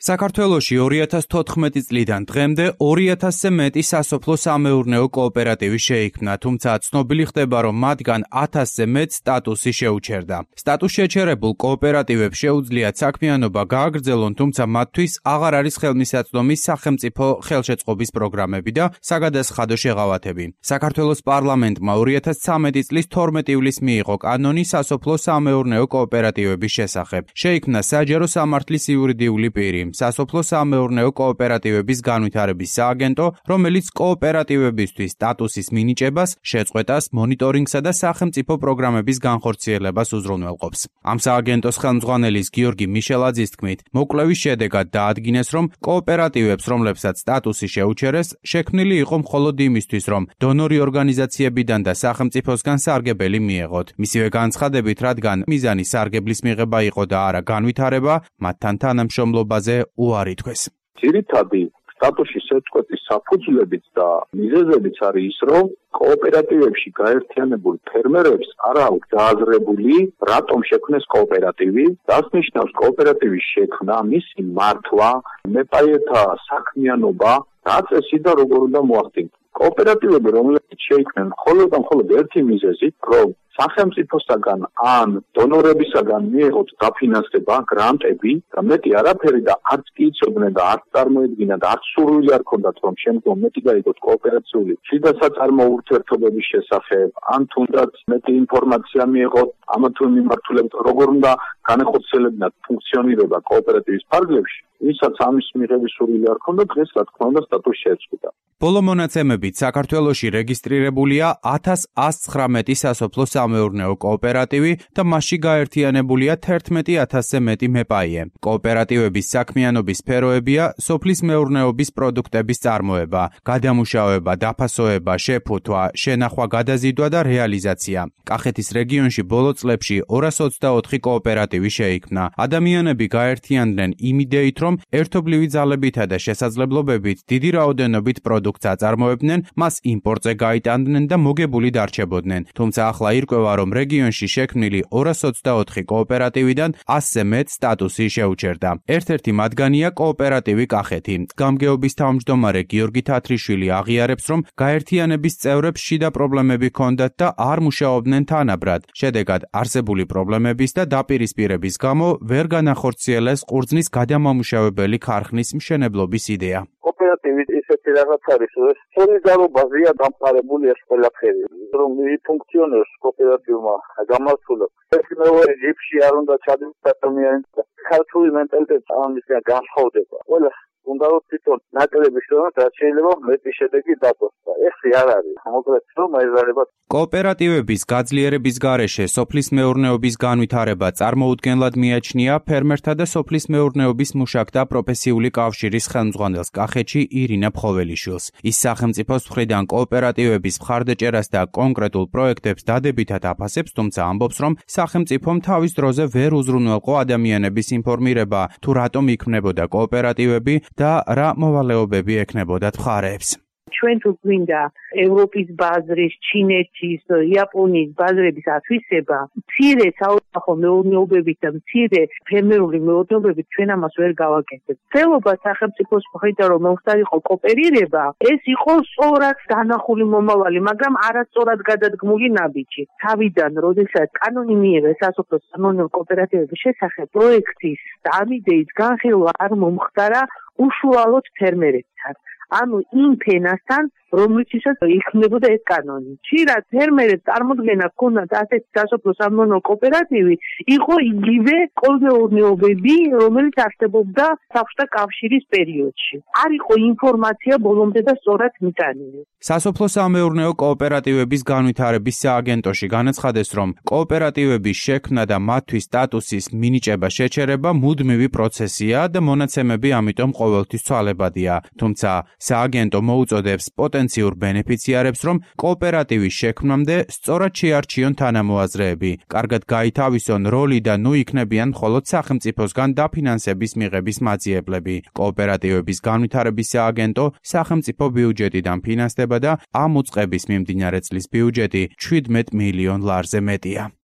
საქართველოში 2014 წლიდან დღემდე 2000-ზე მეტი სასოფლო-სამეურნეო კოოპერატივი შეიქმნა, თუმცა ცნობილი ხდება, რომ მათგან 1000-ზე მეტ სტატუსი შეუჩერდა. სტატუს შეჩერებულ კოოპერატივებს შეუძლიათ საქმიანობა გააგრძელონ, თუმცა მათთვის აღარ არის ხელმისაწვდომი სახელმწიფო ხელშეწყობის პროგრამები და საგადასახადო შეღავათები. საქართველოს პარლამენტმა 2013 წლის 12 ივლისს მიიღო კანონი სასოფლო-სამეურნეო კოოპერატივების შესახებ. შეიქმნა საჯარო სამართლის იურიდიული პირი. სასოფლო-სამეურნეო კოოპერატივების განვითარების სააგენტო, რომელიც კოოპერატივებისთვის სტატუსის მინიჭებას, შეწყვეტას, მონიტორინგსა და სახელმწიფო პროგრამების განხორციელებას უზრუნველყოფს. ამ სააგენტოს ხელმძღვანელის გიორგი მიშელაძის თქმით, მოკვლევის შედეგად დაადგინეს, რომ კოოპერატივებს, რომლებსაც სტატუსი შეუჩერეს, შექმნილი იყო მხოლოდ იმისთვის, რომ დონორი ორგანიზაციებიდან და სახელმწიფოსგან სარგებელი მიეღოთ. მისივე განცხადებით, რადგან მიზანი სარგებლის მიღება იყო და არა განვითარება, მათთან თანამშრომლობაზე უარი თქვეს. ძირითადი სტატუსის შეწყვეტის საფუძვლებიც და მიზეზებიც არის ის, რომ კოოპერატივებში გაერთიანებულ ფერმერებს არ აქვს დააზრებული, რატომ შექმნეს კოოპერატივი, რას ნიშნავს კოოპერატივის შექმნა, მისი მართვა, მეპაიეთა საქმიანობა, რა წესი და როგორ უნდა მოახდინოს. კოოპერატივები, რომლებიც შეიქმნენ მხოლოდ ერთი მიზეზით, რომ სახელმწიფოსაგან ან დონორებისაგან მიეღოთ დაფინანსება, გრანტები და მეტი არაფერი და არც კი იცოდნენ და არც წარმოედგინა და არც სურვილი არ ჰქონდათ, რომ შემდგომ მეტი გაიგოთ კოოპერაციული შიდასაწარმო ურთიერთობების შესახებ, ან თუნდაც მეტი ინფორმაცია მიეღოთ ამა თუ იმ მიმართულებით, როგორ უნდა განახორციელებინათ ფუნქციონირება კოოპერატივის ფარგლებში, ვისაც ამის მიღების სურვილი არ ჰქონდა, დღეს რა თქმა უნდა სტატუსი შეწყვიტა. ბოლო მონაცემებით საქართველოში რეგისტრირებულია 1119 სასოფლო-სამეურნეო კოოპერატივი და მასში გაერთიანებულია 11000-ზე მეტი მეპაიე. კოოპერატივების საქმიანობის სფეროებია სოფლის მეურნეობის პროდუქტების წარმოება, გადამუშავება, დაფასოება, შეფუთვა, შენახვა, გადაზიდვა და რეალიზაცია. კახეთის რეგიონში ბოლო წლებში 224 კოოპერატივი შეიქმნა. ადამიანები გაერთიანდნენ იმ იდეით, რომ ერთობლივი ძალებითა და შესაძლებლობებით დიდი რაოდენობით პროდუქტს აწარმოებდნენ, მას იმპორტზე გაიტანდნენ და მოგებული დარჩებოდნენ. თუმცა ახლა ირკვევა, რომ რეგიონში შექმნილი 224 კოოპერატივიდან 100-ზე მეტ სტატუსი შეუჩერდა. ერთ-ერთი მათგანია კოოპერატივი კახეთი. გამგეობის თავმჯდომარე გიორგი თათრიშვილი აღიარებს, რომ გაერთიანების წევრებს შიდა პრობლემები ჰქონდათ და არ მუშაობდნენ თანაბრად. შედეგად არსებული პრობლემების და დაპირისპირების გამო ვერ განახორციელეს ყურძნის გადამამუშავებელი ქარხნის მშენებლობის იდეა. კოოპერატივი ისეთი რაღაც არის, რომ სოლიდარობაზეა დამყარებული ეს ყველაფერი, რომ ფუნქციონირებს კოოპერატივმა გამართულებს. ეს მეორე ჯიპში არ უნდა ჩადოს ადამიანს და ქართული მენტალიტეტი ამისგან განსხვავდება. ყველა უნდა რომ თვითონ ნაკლები შრომით რაც შეიძლება მეტი შედეგი დაბოს და ეს არ არის. მოკლედ რომ აიზარება კოოპერატივების გაძლიერების გარეშე სოფლის მეურნეობის განვითარება წარმოუდგენლად მიაჩნია ფერმერთა და სოფლის მეურნეობის მუშაკთა პროფესიული კავშირის ხელმძღვანელს კახეთში ირინა ფხოველიშვილს. ის სახელმწიფოს მხრიდან კოოპერატივების მხარდაჭერას და კონკრეტულ პროექტებს დადებითად აფასებს, თუმცა ამბობს, რომ სახელმწიფომ თავის დროზე ვერ უზრუნველყო ადამიანების ინფორმირება, თუ რატომ იქმნებოდა კოოპერატივები და რა მოვალეობები ექნებოდათ მხარეებს. ჩვენ თუ გვინდა ევროპის ბაზრის, ჩინეთის, იაპონიის ბაზრების ათვისება, მცირე საოჯახო მეურნეობებით და მცირე ფერმერული მეურნეობებით ჩვენ ამას ვერ გავაკეთებთ. ხელობა სახელმწიფოს მხრიდან რომ მომხდარიყო კოოპერირება, ეს იყო სწორად დანახული მომავალი, მაგრამ არასწორად გადადგმული ნაბიჯი. თავიდან, როდესაც კანონი მიიღეს სასოფლო-სამეურნეო კოოპერატივების შესახებ, პროექტის და ამ იდეის განხილვა არ მომხდარა უშუალოდ ფერმერებთან. ანუ იმ ფენასთან, რომლითაც იქმნებოდა ეს კანონი. ხშირად ფერმერებს წარმოდგენა ჰქონდათ ასეთი სასოფლო-სამეურნეო კოოპერატივი, იყო იგივე კოლმეურნეობები, რომელიც არსებობდა საბჭოთა კავშირის პერიოდში. არ იყო ინფორმაცია ბოლომდე და სწორად მიტანილი. სასოფლო-სამეურნეო კოოპერატივების განვითარების სააგენტოში განაცხადეს, რომ კოოპერატივების შექმნა და მათთვის სტატუსის მინიჭება შეჩერება მუდმივი პროცესია და მონაცემები ამიტომ ყოველთვის ცვალებადია. თუმცა სააგენტო მოუწოდებს პოტენციურ ბენეფიციარებს, რომ კოოპერატივის შექმნამდე სწორად შეარჩიონ თანამოაზრეები, კარგად გაითავისონ როლი და ნუ იქნებიან მხოლოდ სახელმწიფოსგან დაფინანსების მიღების მაძიებლები. კოოპერატივების განვითარების სააგენტო სახელმწიფო ბიუჯეტიდან ფინანსდება და ამ უწყების მიმდინარე წლის ბიუჯეტი 17 მილიონ ლარზე მეტია.